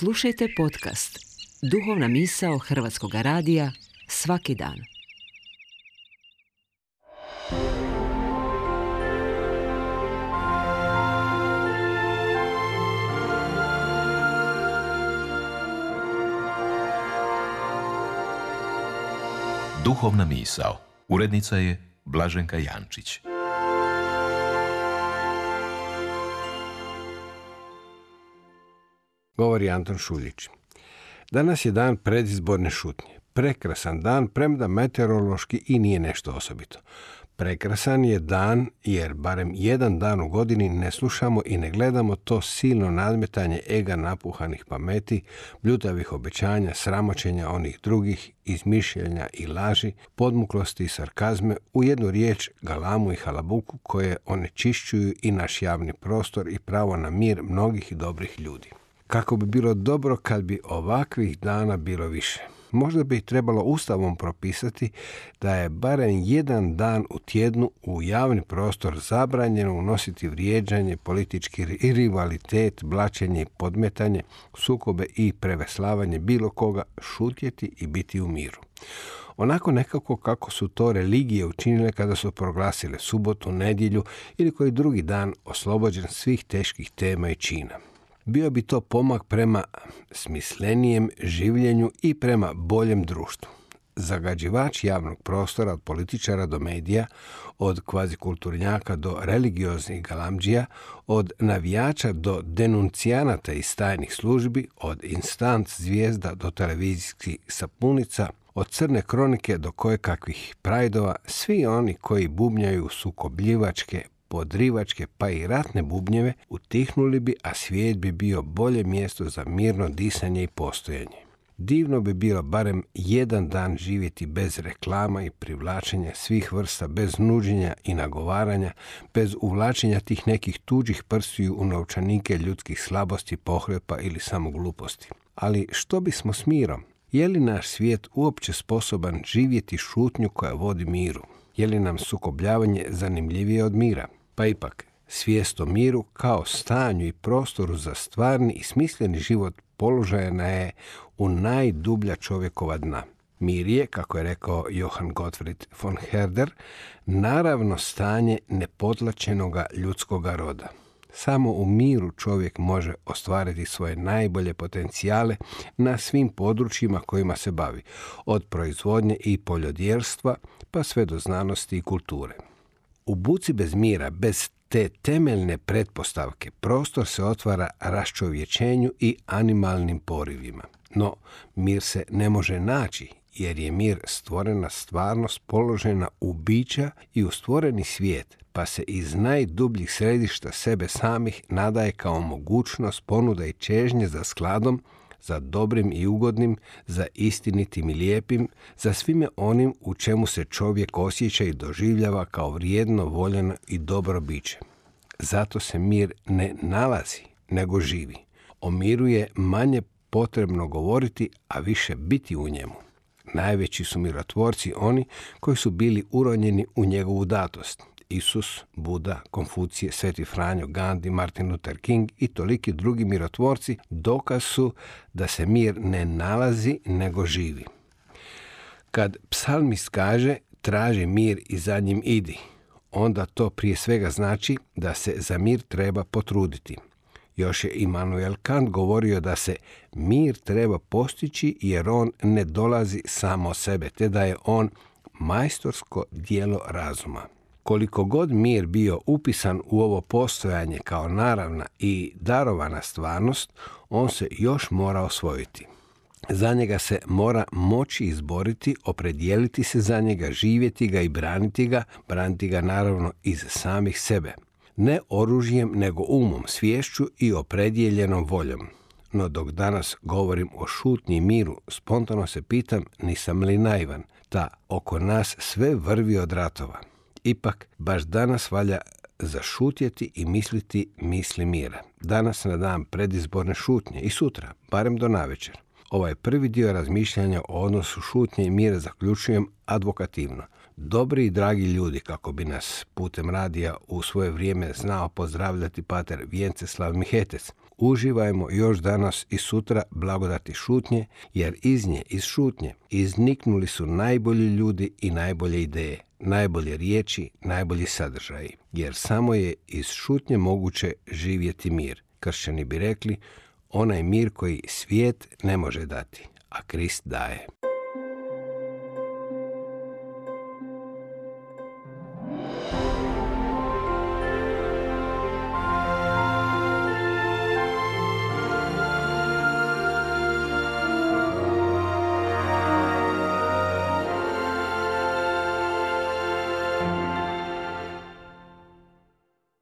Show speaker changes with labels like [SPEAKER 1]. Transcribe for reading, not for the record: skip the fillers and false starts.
[SPEAKER 1] Slušajte podcast Duhovna misao Hrvatskog radija svaki dan.
[SPEAKER 2] Duhovna misao. Urednica je Blaženka Jančić.
[SPEAKER 3] Govori Anton Šuljić. Danas je dan predizborne šutnje. Prekrasan dan, premda meteorološki i nije nešto osobito. Prekrasan je dan jer barem jedan dan u godini ne slušamo i ne gledamo to silno nadmetanje ega napuhanih pameti, bljutavih obećanja, sramoćenja onih drugih, izmišljenja i laži, podmuklosti i sarkazme, u jednu riječ galamu i halabuku koje onečišćuju i naš javni prostor i pravo na mir mnogih i dobrih ljudi. Kako bi bilo dobro kad bi ovakvih dana bilo više. Možda bi trebalo Ustavom propisati da je barem jedan dan u tjednu u javni prostor zabranjeno unositi vrijeđanje, politički rivalitet, blaćenje i podmetanje, sukobe i preveslavanje bilo koga, šutjeti i biti u miru. Onako nekako kako su to religije učinile kada su proglasile subotu, nedjelju ili koji drugi dan oslobođen svih teških tema i čina. Bio bi to pomak prema smislenijem življenju i prema boljem društvu. Zagađivač javnog prostora od političara do medija, od kvazikulturnjaka do religioznih galamdžija, od navijača do denuncijanata iz tajnih službi, od instant zvijezda do televizijskih sapunica, od crne kronike do kojekakvih prajdova, svi oni koji bubnjaju sukobljivačke, podrivačke pa i ratne bubnjeve utihnuli bi, a svijet bi bio bolje mjesto za mirno disanje i postojanje. Divno bi bilo barem jedan dan živjeti bez reklama i privlačenja svih vrsta, bez nuđenja i nagovaranja, bez uvlačenja tih nekih tuđih prstiju u novčanike ljudskih slabosti, pohlepa ili samo gluposti. Ali što bismo s mirom? Je li naš svijet uopće sposoban živjeti šutnju koja vodi miru? Je li nam sukobljavanje zanimljivije od mira? Pa ipak, svijest o miru kao stanju i prostoru za stvarni i smisleni život položajna je u najdublja čovjekova dna. Mir je, kako je rekao Johann Gottfried von Herder, naravno stanje nepotlačenoga ljudskoga roda. Samo u miru čovjek može ostvariti svoje najbolje potencijale na svim područjima kojima se bavi, od proizvodnje i poljodjelstva pa sve do znanosti i kulture. U buci bez mira, bez te temeljne pretpostavke, prostor se otvara raščovječenju i animalnim porivima. No, mir se ne može naći, jer je mir stvorena stvarnost položena u bića i u stvoreni svijet, pa se iz najdubljih središta sebe samih nadaje kao mogućnost ponuda i čežnje za skladom, za dobrim i ugodnim, za istinitim i lijepim, za svime onim u čemu se čovjek osjeća i doživljava kao vrijedno, voljeno i dobro biće. Zato se mir ne nalazi, nego živi. O miru je manje potrebno govoriti, a više biti u njemu. Najveći su mirotvorci oni koji su bili uronjeni u njegovu datost. Isus, Buda, Konfucije, Sveti Franjo, Gandhi, Martin Luther King i toliki drugi mirotvorci dokaz su da se mir ne nalazi nego živi. Kad psalmist kaže traži mir i za njim idi, onda to prije svega znači da se za mir treba potruditi. Još je Immanuel Kant govorio da se mir treba postići jer on ne dolazi samo od sebe, te da je on majstorsko djelo razuma. Koliko god mir bio upisan u ovo postojanje kao naravna i darovana stvarnost, on se još mora osvojiti. Za njega se mora moći izboriti, opredijeliti se za njega, živjeti ga i braniti ga naravno iz samih sebe. Ne oružjem, nego umom, sviješću i opredijeljenom voljom. No dok danas govorim o šutnji i miru, spontano se pitam, nisam li naivan, ta oko nas sve vrvi od ratova. Ipak, baš danas valja zašutjeti i misliti misli mira. Danas na dan predizborne šutnje i sutra, barem do navečer. Ovaj prvi dio razmišljanja o odnosu šutnje i mira zaključujem advokativno. Dobri i dragi ljudi, kako bi nas putem radija u svoje vrijeme znao pozdravljati pater Vjenceslav Mihetec, Uživajmo još danas i sutra blagodati šutnje, jer iz nje, iz šutnje, izniknuli su najbolji ljudi i najbolje ideje, najbolje riječi, najbolji sadržaji, jer samo je iz šutnje moguće živjeti mir. Kršćani bi rekli, onaj mir koji svijet ne može dati, a Krist daje.